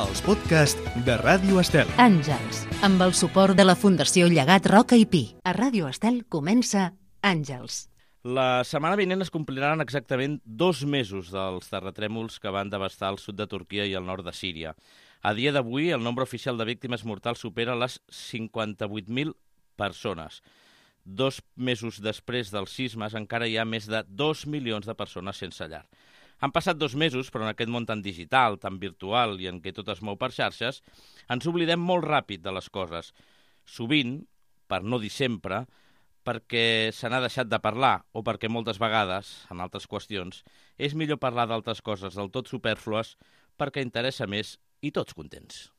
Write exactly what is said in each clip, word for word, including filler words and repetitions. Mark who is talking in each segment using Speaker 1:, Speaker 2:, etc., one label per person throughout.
Speaker 1: els podcasts de Ràdio Estel.
Speaker 2: Àngels, amb el suport de la Fundació Llegat Roca i Pi. A Ràdio Estel comença Àngels.
Speaker 3: La setmana vinent es compliran exactament dos mesos dels terratrèmols que van devastar el sud de Turquia i el nord de Síria. A dia d'avui, el nombre oficial de víctimes mortals supera les cinquanta-vuit mil persones. Dos mesos després dels sismes encara hi ha més de dos milions de persones sense llar. Han passat dos mesos, però en aquest món tan digital, tan virtual i en què tot es mou per xarxes, ens oblidem molt ràpid de les coses. Sovint, per no dir sempre, perquè se n'ha deixat de parlar o perquè moltes vegades, en altres qüestions, és millor parlar d'altres coses del tot supèrflues perquè interessa més i tots contents.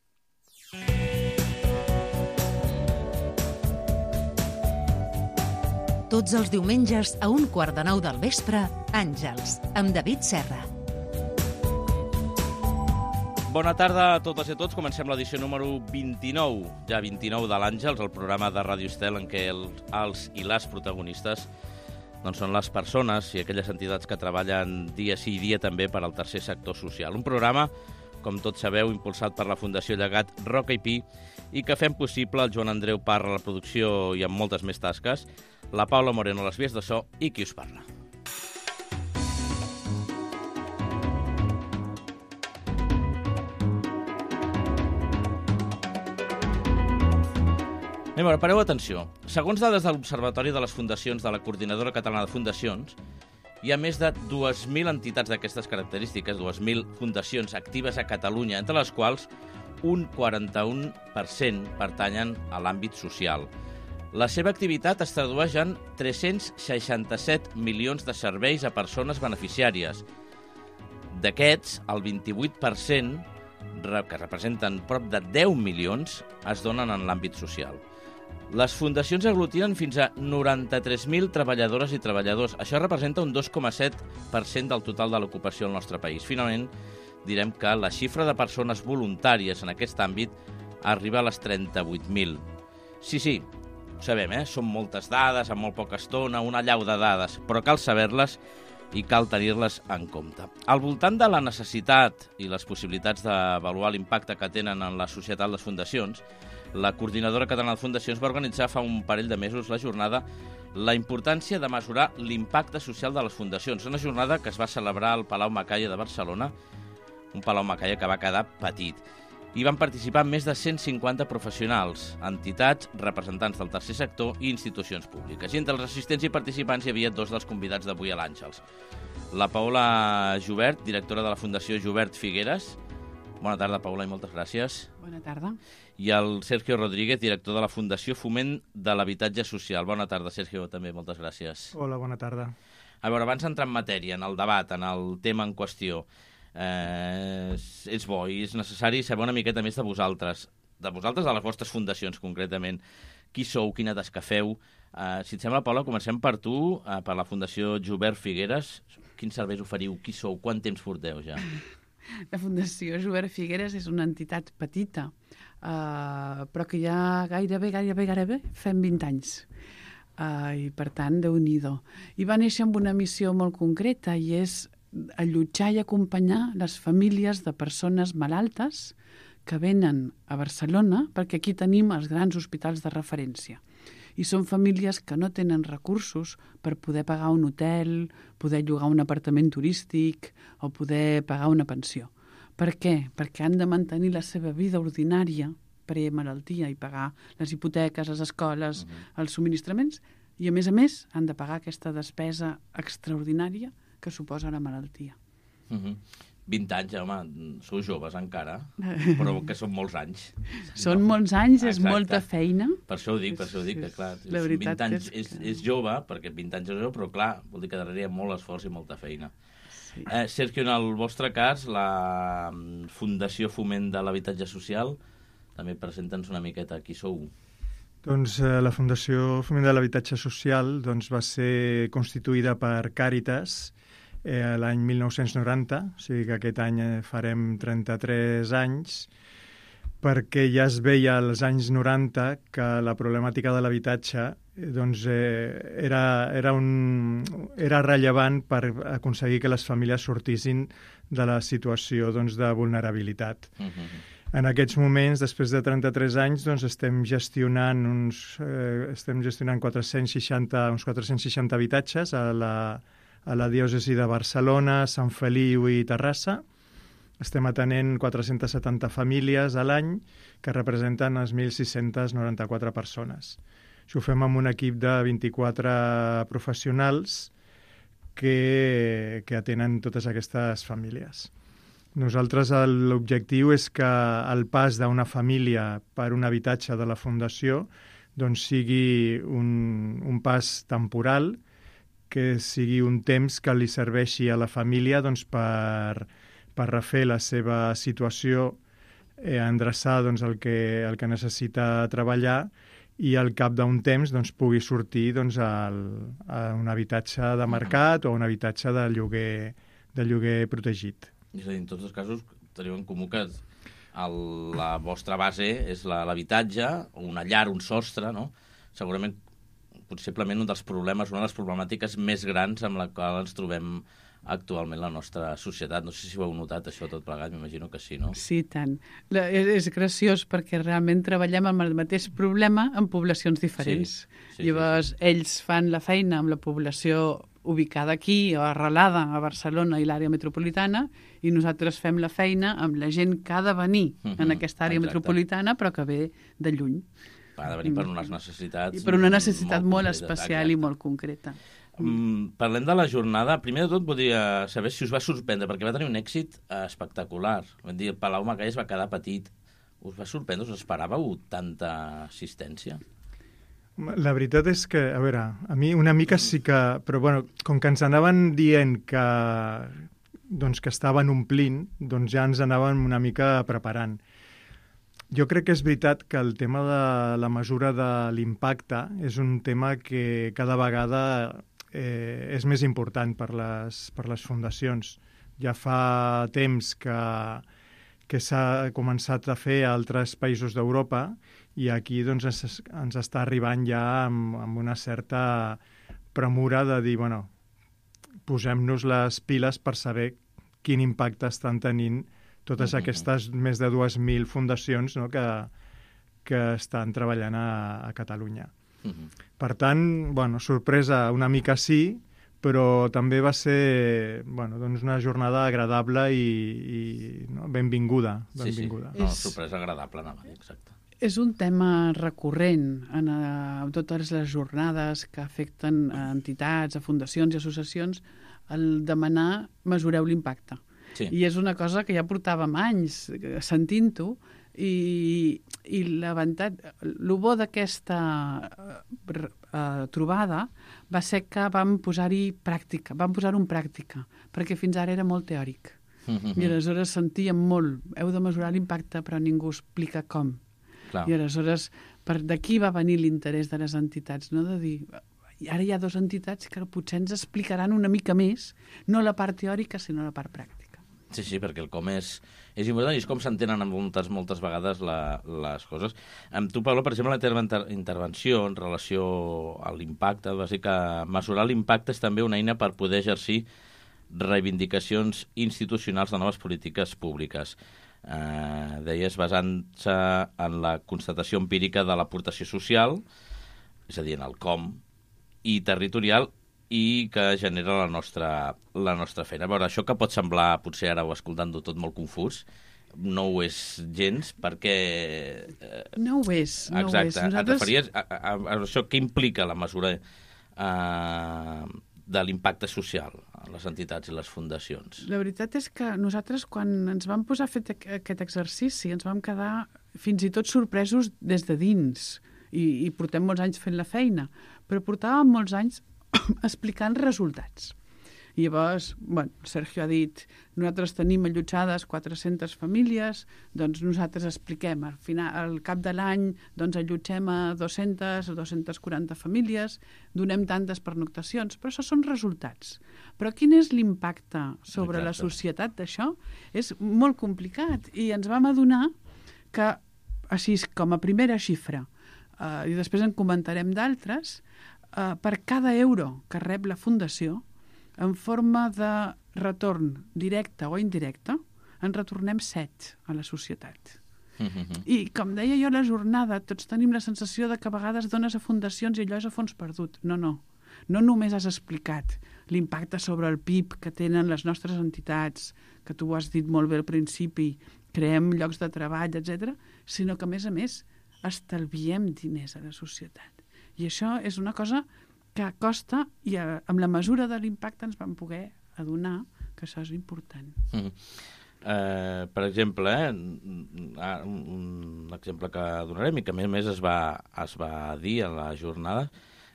Speaker 2: Tots els diumenges a un quart de nou del vespre, Àngels, amb David Serra.
Speaker 3: Bona tarda a totes i a tots. Comencem l'edició número vint-i-nou, ja vint-i-nou de l'Àngels, el programa de Ràdio Estel en què el, els i les protagonistes doncs són les persones i aquelles entitats que treballen dia sí i dia també per al tercer sector social. Un programa, com tots sabeu, impulsat per la Fundació Llegat Roca i Pi i que fem possible el Joan Andreu Parra a la producció i amb moltes més tasques, la Paula Moreno a les vies de so i qui us parla. Anem a veure, pareu atenció. Segons dades de l'Observatori de les Fundacions de la Coordinadora Catalana de Fundacions, hi ha més de dues mil entitats d'aquestes característiques, dues mil fundacions actives a Catalunya, entre les quals un quaranta-un per cent pertanyen a l'àmbit social. La seva activitat es tradueix en tres-cents seixanta-set milions de serveis a persones beneficiàries. D'aquests, el vint-i-vuit per cent, que representen prop de deu milions, es donen en l'àmbit social. Les fundacions aglutinen fins a noranta-tres mil treballadores i treballadors. Això representa un dos coma set per cent del total de l'ocupació al nostre país. Finalment, direm que la xifra de persones voluntàries en aquest àmbit arriba a les trenta-vuit mil. Sí, sí, ho sabem, eh? Són moltes dades, en molt poca estona, una allau de dades, però cal saber-les i cal tenir-les en compte. Al voltant de la necessitat i les possibilitats d'avaluar l'impacte que tenen en la societat les fundacions, la Coordinadora Catalana de Fundacions va organitzar fa un parell de mesos la jornada La importància de mesurar l'impacte social de les fundacions. Una jornada que es va celebrar al Palau Macaya de Barcelona, un Palau Macaya que va quedar petit. Hi van participar més de cent cinquanta professionals, entitats, representants del tercer sector i institucions públiques. I entre els assistents i participants hi havia dos dels convidats d'avui a l'Àngels. La Paula Jubert, directora de la Fundació Jubert Figueres. Bona tarda, Paula, i moltes gràcies.
Speaker 4: Bona tarda.
Speaker 3: I el Sergio Rodríguez, director de la Fundació Foment de l'Habitatge Social. Bona tarda, Sergio, també, moltes gràcies.
Speaker 5: Hola, bona tarda.
Speaker 3: A veure, abans d'entrar en matèria, en el debat, en el tema en qüestió, eh, és bo i és necessari saber una miqueta més de vosaltres, de vosaltres, de les vostres fundacions, concretament. Qui sou, quina tasca feu? Eh, si et sembla, Paula, comencem per tu, eh, per la Fundació Jubert Figueres. Quins serveis oferiu? Qui sou? Quant temps porteu ja?
Speaker 4: La Fundació Jubert Figueres és una entitat petita, uh, però que ja gairebé, gairebé, gairebé fem vint anys. Uh, I, per tant, Déu-n'hi-do. I va néixer amb una missió molt concreta i és allotjar i acompanyar les famílies de persones malaltes que venen a Barcelona, perquè aquí tenim els grans hospitals de referència. I són famílies que no tenen recursos per poder pagar un hotel, poder llogar un apartament turístic o poder pagar una pensió. Per què? Perquè han de mantenir la seva vida ordinària pre-malaltia i pagar les hipoteques, les escoles, uh-huh. els subministraments, i a més a més han de pagar aquesta despesa extraordinària que suposa la malaltia.
Speaker 3: Uh-huh. vint anys, home, sou joves encara, però que són molts anys.
Speaker 4: Són no. molts anys, és Exacte. molta feina.
Speaker 3: Per això ho dic, per això ho dic, que clar,
Speaker 4: la
Speaker 3: vint anys
Speaker 4: és,
Speaker 3: és, és jove, perquè vint anys és jove, però clar, vol dir que darrere hi ha molt esforç i molta feina. Sí. Eh, Sergio, en el vostre cas, la Fundació Foment de l'Habitatge Social, també presenta'ns una miqueta qui sou.
Speaker 5: Doncs eh, la Fundació Foment de l'Habitatge Social doncs, va ser constituïda per Càritas eh, l'any mil nou-cents noranta, o sigui que aquest any farem trenta-tres anys, perquè ja es veia als anys noranta que la problemàtica de l'habitatge doncs, eh, era, era, un, era rellevant per aconseguir que les famílies sortissin de la situació doncs, de vulnerabilitat. Uh-huh. En aquests moments, després de trenta-tres anys, doncs estem gestionant uns eh, estem gestionant quatre-cents seixanta, uns quatre-cents seixanta habitatges a la, a la diòcesi de Barcelona, Sant Feliu i Terrassa. Estem atenent quatre-cents setanta famílies a l'any que representen les mil sis-cents noranta-quatre persones. Això ho fem amb un equip de vint-i-quatre professionals que, que atenen totes aquestes famílies. Nosaltres l'objectiu és que el pas d'una família per un habitatge de la Fundació doncs sigui un, un pas temporal, que sigui un temps que li serveixi a la família doncs, per, per refer la seva situació, eh, endreçar doncs, el, que, el que necessita treballar i al cap d'un temps doncs, pugui sortir doncs, al, a un habitatge de mercat o un habitatge de lloguer, de lloguer protegit.
Speaker 3: És a dir, en tots els casos teniu en comú que el, la vostra base és l'habitatge, una llar, un sostre, no? Segurament, possiblement un dels problemes, una de les problemàtiques més grans amb la qual ens trobem actualment la nostra societat. No sé si ho heu notat, això tot plegat, m'imagino que sí, no?
Speaker 4: Sí, tant. La, és, és graciós perquè realment treballem amb el mateix problema en poblacions diferents. Sí, sí, Llavors, sí, sí. ells fan la feina amb la població ubicada aquí o arrelada a Barcelona i l'àrea metropolitana, i nosaltres fem la feina amb la gent que ha de venir uh-huh, en aquesta àrea exacte. metropolitana, però que ve de lluny.
Speaker 3: Ha de venir per unes necessitats...
Speaker 4: I per una necessitat molt, molt especial exacte. i molt concreta.
Speaker 3: Um, parlem de la jornada. Primer de tot, voldria saber si us va sorprendre, perquè va tenir un èxit uh, espectacular. Vam dir, el Palau Macaya es va quedar petit. Us va sorprendre? Us esperàveu tanta assistència?
Speaker 5: La veritat és que, a veure, a mi una mica sí que... Però, bueno, com que ens anaven dient que, doncs, que estaven omplint, doncs ja ens anàvem una mica preparant. Jo crec que és veritat que el tema de la mesura de l'impacte és un tema que cada vegada eh, és més important per les, per les fundacions. Ja fa temps que, que s'ha començat a fer a altres països d'Europa i aquí doncs, ens, ens està arribant ja amb, amb una certa premura de dir, bueno, posem-nos les piles per saber quin impacte estan tenint totes uh-huh. aquestes més de dues mil fundacions, no, que, que estan treballant a, a Catalunya. Uh-huh. Per tant, bueno, sorpresa una mica sí, però també va ser bueno, doncs una jornada agradable i, i no, benvinguda. benvinguda.
Speaker 3: Sí, sí. No, sorpresa agradable, anava a dir, exacte.
Speaker 4: És un tema recurrent en a, totes les jornades que afecten a entitats, a fundacions i associacions, el demanar mesureu l'impacte. Sí. I és una cosa que ja portàvem anys sentint-ho i, i l'avantatge, el bo d'aquesta uh, trobada va ser que vam posar-hi pràctica, vam posar-ho en pràctica, perquè fins ara era molt teòric. Mm-hmm. I aleshores sentíem molt, heu de mesurar l'impacte però ningú explica com. Clar. I aleshores per d'aquí va venir l'interès de les entitats, no? De dir, ara hi ha dues entitats que potser ens explicaran una mica més, no la part teòrica sinó la part pràctica.
Speaker 3: Sí, sí, perquè el com és, és important i és com s'entenen moltes, moltes vegades la, les coses. Amb tu, Pablo, per exemple, la teva inter intervenció en relació a l'impacte, va ser que mesurar l'impacte és també una eina per poder exercir reivindicacions institucionals de noves polítiques públiques. Eh, deies, basant-se en la constatació empírica de l'aportació social, és a dir, en el com, i territorial, i que genera la nostra, la nostra feina. A veure, això que pot semblar, potser ara ho escoltant-ho tot molt confús, no ho és gens, perquè...
Speaker 4: Eh, no ho és. No
Speaker 3: exacte,
Speaker 4: ho és.
Speaker 3: Nosaltres... et referies a, a, a això que implica la mesura eh, de l'impacte social a les entitats i les fundacions?
Speaker 4: La veritat és que nosaltres, quan ens vam posar a fer aquest exercici, ens vam quedar fins i tot sorpresos des de dins, i, i portem molts anys fent la feina, però portàvem molts anys explicant resultats. I llavors, bueno, Sergio ha dit, nosaltres tenim allotjades quatre-centes famílies, doncs nosaltres expliquem, al final, al cap de l'any, doncs allotgem a dues-centes o dues-centes quaranta famílies, donem tantes pernoctacions, però això són resultats. Però quin és l'impacte sobre Exacte. La societat d'això? És molt complicat i ens vam adonar que, així com a primera xifra, eh, i després en comentarem d'altres, Uh, per cada euro que rep la Fundació, en forma de retorn directe o indirecte, en retornem set a la societat.
Speaker 3: Mm-hmm.
Speaker 4: I, com deia jo a la jornada, tots tenim la sensació de que a vegades dones a fundacions i allò és a fons perdut. No, no. No només has explicat l'impacte sobre el P I B que tenen les nostres entitats, que tu ho has dit molt bé al principi, creem llocs de treball, etcètera, sinó que, a més a més, estalviem diners a la societat. I això és una cosa que costa i a, amb la mesura de l'impacte ens vam poder adonar que això és important.
Speaker 3: Mm. Eh, per exemple, eh, un exemple que donarem i que a més a més es va, es va dir a la jornada,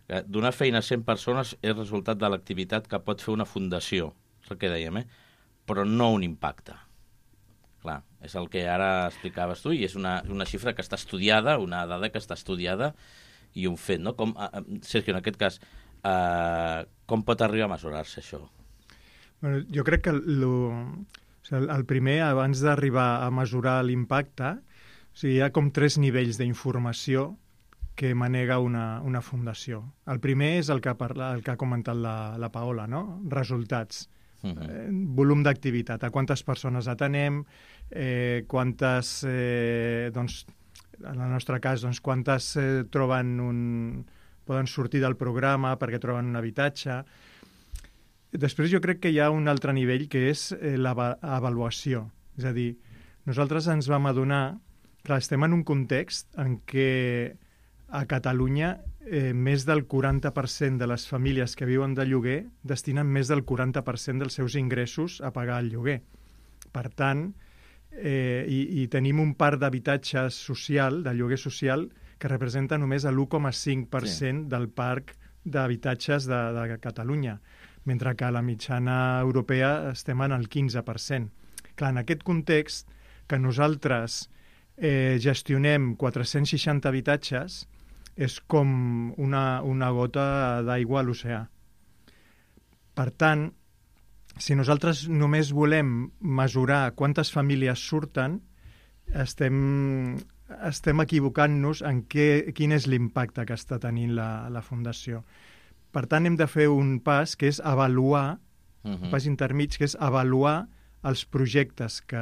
Speaker 3: que donar feina a cent persones és resultat de l'activitat que pot fer una fundació, és el que dèiem, eh? Però no un impacte. Clar, és el que ara explicaves tu i és una, una xifra que està estudiada, una dada que està estudiada i un fet, no? Com, Sergio, en aquest cas, eh, com pot arribar a mesurar-se això?
Speaker 5: Bueno, jo crec que lo, o sigui, el primer, abans d'arribar a mesurar l'impacte, o sigui, hi ha com tres nivells d'informació que manega una, una fundació. El primer és el que, parla, el que ha comentat la, la Paola, no? Resultats. Uh-huh. eh, volum d'activitat, a quantes persones atenem, eh, quantes, eh, doncs, en el nostre cas, doncs, quantes eh, troben un, poden sortir del programa perquè troben un habitatge. Després jo crec que hi ha un altre nivell que és eh, l'avaluació. És a dir, nosaltres ens vam adonar que estem en un context en què a Catalunya eh, més del quaranta per cent de les famílies que viuen de lloguer destinen més del quaranta per cent dels seus ingressos a pagar el lloguer. Per tant, eh, i, i tenim un parc d'habitatge social, de lloguer social, que representa només l'u coma cinc per cent sí. del parc d'habitatges de, de Catalunya, mentre que a la mitjana europea estem en el quinze per cent. Clar, en aquest context, que nosaltres eh, gestionem quatre-cents seixanta habitatges, és com una, una gota d'aigua a l'oceà. Per tant, si nosaltres només volem mesurar quantes famílies surten, estem, estem equivocant-nos en què, quin és l'impacte que està tenint la, la Fundació. Per tant, hem de fer un pas que és avaluar, uh-huh. un pas intermig, que és avaluar els projectes que,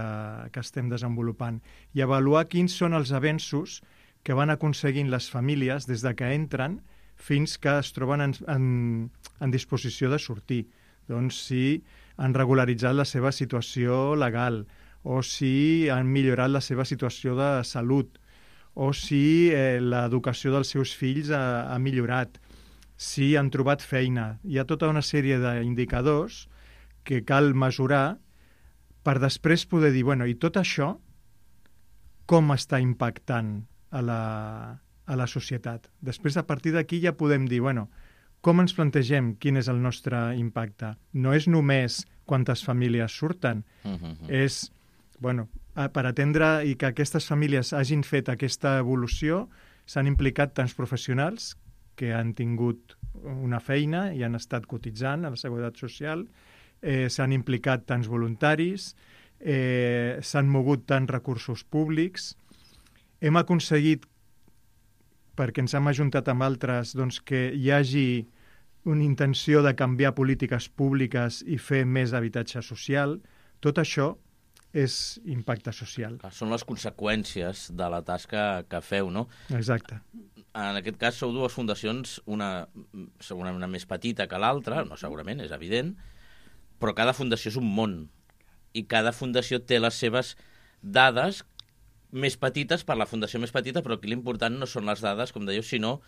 Speaker 5: que estem desenvolupant i avaluar quins són els avenços que van aconseguint les famílies des de que entren fins que es troben en, en, en disposició de sortir. Doncs si han regularitzat la seva situació legal, o si han millorat la seva situació de salut, o si eh, l'educació dels seus fills ha, ha millorat, si han trobat feina. Hi ha tota una sèrie d'indicadors que cal mesurar per després poder dir, bueno, i tot això com està impactant a la, a la societat. Després, a partir d'aquí, ja podem dir, bueno, com ens plantegem quin és el nostre impacte? No és només quantes famílies surten, uh-huh. és, bueno, per atendre i que aquestes famílies hagin fet aquesta evolució, s'han implicat tants professionals que han tingut una feina i han estat cotitzant a la Seguretat Social, eh, s'han implicat tants voluntaris, eh, s'han mogut tants recursos públics. Hem aconseguit, perquè ens hem ajuntat amb altres, doncs, que hi hagi una intenció de canviar polítiques públiques i fer més habitatge social. Tot això és impacte social.
Speaker 3: Són les conseqüències de la tasca que feu, no?
Speaker 5: Exacte.
Speaker 3: En aquest cas sou dues fundacions, una segurament una més petita que l'altra, no segurament, és evident, però cada fundació és un món i cada fundació té les seves dades més petites per la fundació més petita, però aquí l'important no són les dades, com dèieu, sinó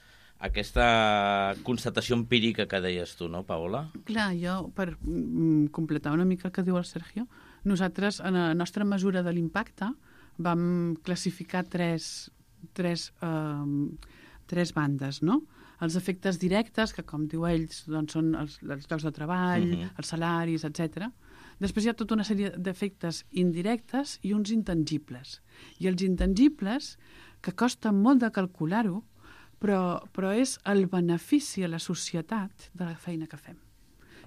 Speaker 3: aquesta constatació empírica que deies tu, no, Paola?
Speaker 4: Clar, jo, per mm, completar una mica el que diu el Sergio, nosaltres, en la nostra mesura de l'impacte, vam classificar tres, tres, eh, tres bandes, no? Els efectes directes, que com diu ells, doncs són els, els llocs de treball, uh-huh. els salaris, etcètera. Després hi ha tota una sèrie d'efectes indirectes i uns intangibles. I els intangibles, que costa molt de calcular-ho, però, però és el benefici a la societat de la feina que fem.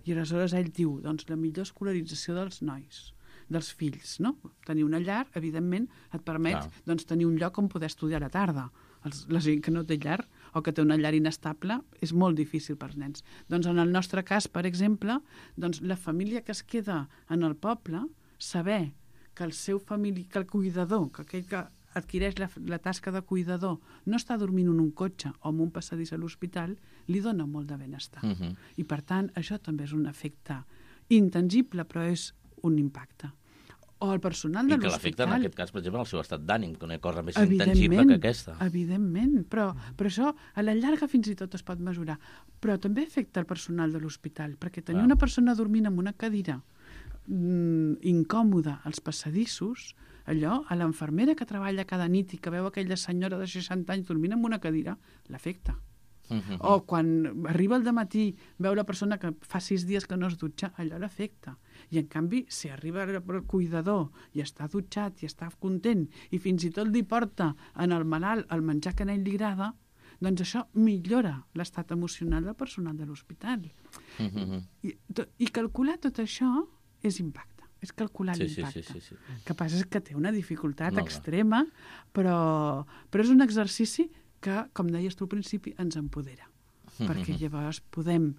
Speaker 4: I aleshores ell diu, doncs, la millor escolarització dels nois, dels fills, no? Tenir una llar, evidentment, et permet ah. doncs, tenir un lloc on poder estudiar a la tarda. Els, la gent que no té llar o que té una llar inestable és molt difícil pels nens. Doncs en el nostre cas, per exemple, doncs la família que es queda en el poble, saber que el seu famili... que el cuidador, que aquell que adquireix la, la tasca de cuidador, no està dormint en un cotxe o en un passadís a l'hospital, li dona molt de benestar. Uh -huh. I, per tant, això també és un efecte intangible, però és un impacte. O el personal de l'hospital...
Speaker 3: I que l'afecta, en aquest cas, per exemple, el seu estat d'ànim, que no hi ha cosa més intangible que aquesta.
Speaker 4: Evidentment, però, però això a la llarga fins i tot es pot mesurar. Però també afecta el personal de l'hospital, perquè tenir ah. una persona dormint en una cadira mm, incòmoda als passadissos, allò, a l'infermera que treballa cada nit i que veu aquella senyora de seixanta anys dormint en una cadira, l'afecta. Uh -huh. O quan arriba al dematí, veu la persona que fa sis dies que no es dutxa, allò l'afecta. I, en canvi, si arriba el cuidador i està dutxat i està content i fins i tot li porta en el malalt el menjar que a ell li agrada, doncs això millora l'estat emocional del personal de l'hospital. Uh -huh. I, to, I calcular tot això és impacte. És calcular
Speaker 3: sí,
Speaker 4: l'impacte.
Speaker 3: Sí, sí, sí, sí.
Speaker 4: El que passa és que té una dificultat
Speaker 3: no,
Speaker 4: extrema, però, però és un exercici que, com deies tu al principi, ens empodera. Mm-hmm. Perquè llavors podem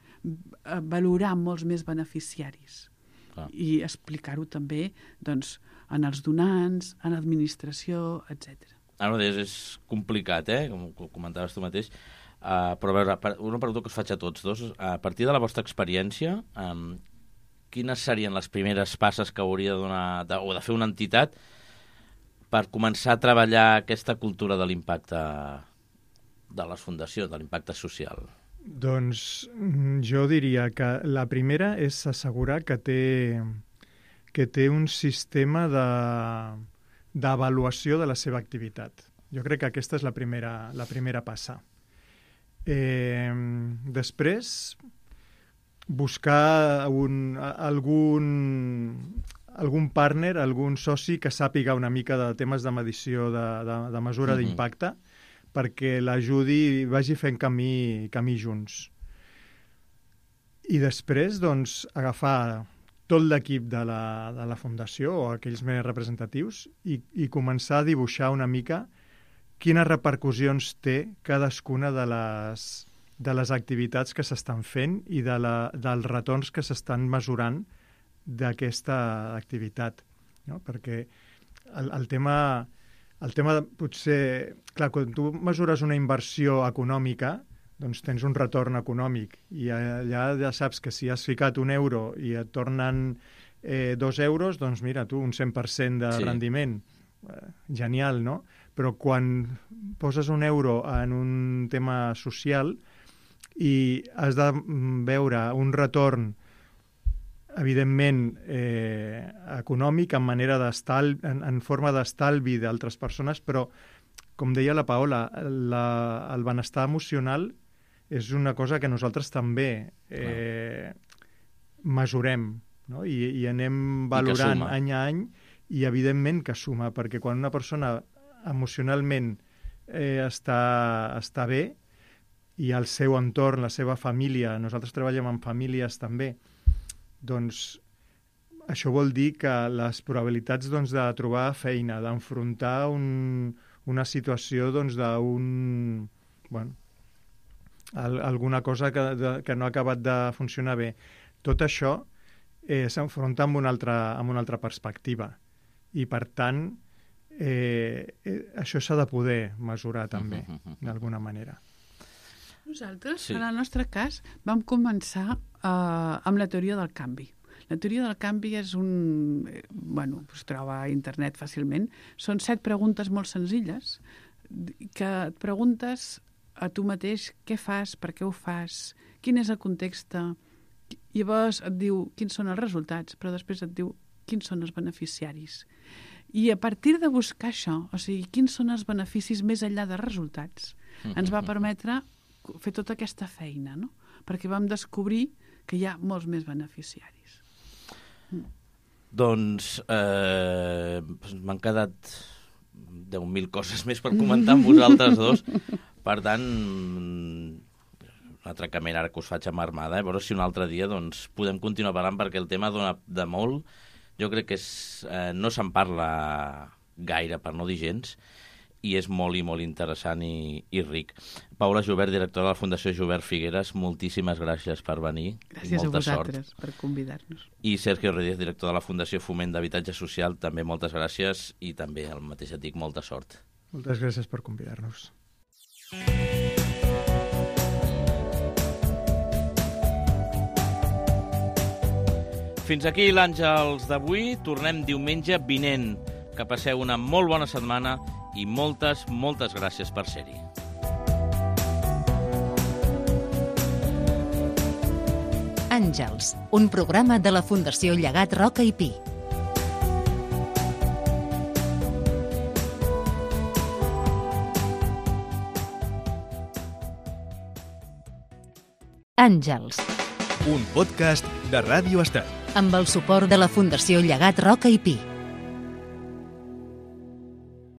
Speaker 4: valorar molts més beneficiaris. Ah. I explicar-ho també doncs, en els donants, en l'administració, etcètera.
Speaker 3: Ara mateix és complicat, eh? Com comentaves tu mateix. Uh, però a veure, una pregunta que us faig a tots dos. A partir de la vostra experiència, um, quines serien les primeres passes que hauria de donar, de, o de fer una entitat per començar a treballar aquesta cultura de l'impacte de les fundacions, de l'impacte social?
Speaker 5: Doncs jo diria que la primera és assegurar que té, que té un sistema de, d'avaluació de la seva activitat. Jo crec que aquesta és la primera, la primera passa. Eh, després, buscar un, algun, algun partner, algun soci que sàpiga una mica de temes de medició, de, de, de mesura mm-hmm. d'impacte, perquè l'ajudi i vagi fent camí, camí junts. I després, doncs, agafar tot l'equip de la, de la Fundació o aquells més representatius i, i començar a dibuixar una mica quines repercussions té cadascuna de les, de les activitats que s'estan fent i de la, dels retorns que s'estan mesurant d'aquesta activitat. No? Perquè el, el tema... El tema, potser... Clar, quan tu mesures una inversió econòmica, doncs tens un retorn econòmic. I allà ja saps que si has ficat un euro i et tornen eh, dos euros, doncs mira, tu, un cent per cent de sí. rendiment. Eh, genial, no? Però quan poses un euro en un tema social i has de veure un retorn evidentment eh, econòmic, en manera d'estalvi, en, en forma d'estalvi d'altres persones, però, com deia la Paola, la, el benestar emocional és una cosa que nosaltres també eh, mesurem, no? I, i anem valorant I any a any, i evidentment que suma, perquè quan una persona emocionalment eh, està, està bé, i el seu entorn, la seva família, nosaltres treballem amb famílies també, doncs això vol dir que les probabilitats doncs, de trobar feina, d'enfrontar un, una situació doncs, d'un... Bueno, al, alguna cosa que, de, que no ha acabat de funcionar bé. Tot això eh, s'enfronta amb una altra, amb una altra perspectiva. I, per tant, eh, eh, això s'ha de poder mesurar també, uh -huh. d'alguna manera.
Speaker 4: Nosaltres, sí. en el nostre cas, vam començar uh, amb la teoria del canvi. La teoria del canvi és un... Bueno, es troba a internet fàcilment. Són set preguntes molt senzilles que et preguntes a tu mateix què fas, per què ho fas, quin és el context. Llavors et diu quins són els resultats, però després et diu quins són els beneficiaris. I a partir de buscar això, o sigui, quins són els beneficis més enllà de resultats, ens va permetre fer tota aquesta feina, no? Perquè vam descobrir que hi ha molts més beneficiaris.
Speaker 3: Mm. Doncs eh, m'han quedat deu mil coses més per comentar amb vosaltres dos. Per tant, un altre camí ara que us faig amb Armada, eh? A veure si un altre dia doncs, podem continuar parlant, perquè el tema dona de molt. Jo crec que és, eh, no se'n parla gaire, per no dir gens, i és molt i molt interessant i, i ric. Paula Joubert, directora de la Fundació Joubert Figueras, moltíssimes gràcies per venir.
Speaker 4: Gràcies
Speaker 3: molta
Speaker 4: a vosaltres
Speaker 3: sort.
Speaker 4: Per convidar-nos.
Speaker 3: I Sergio Rodríguez, director de la Fundació Foment d'Habitatge Social, també moltes gràcies, i també el mateix et dic molta sort.
Speaker 5: Moltes gràcies per convidar-nos.
Speaker 3: Fins aquí l'Àngels d'avui. Tornem diumenge vinent. Que passeu una molt bona setmana i moltes, moltes gràcies per ser-hi.
Speaker 2: Àngels, un programa de la Fundació Llegat Roca i Pi. Àngels.
Speaker 1: Un podcast de Ràdio Estel.
Speaker 2: Amb el suport de la Fundació Llegat Roca i Pi.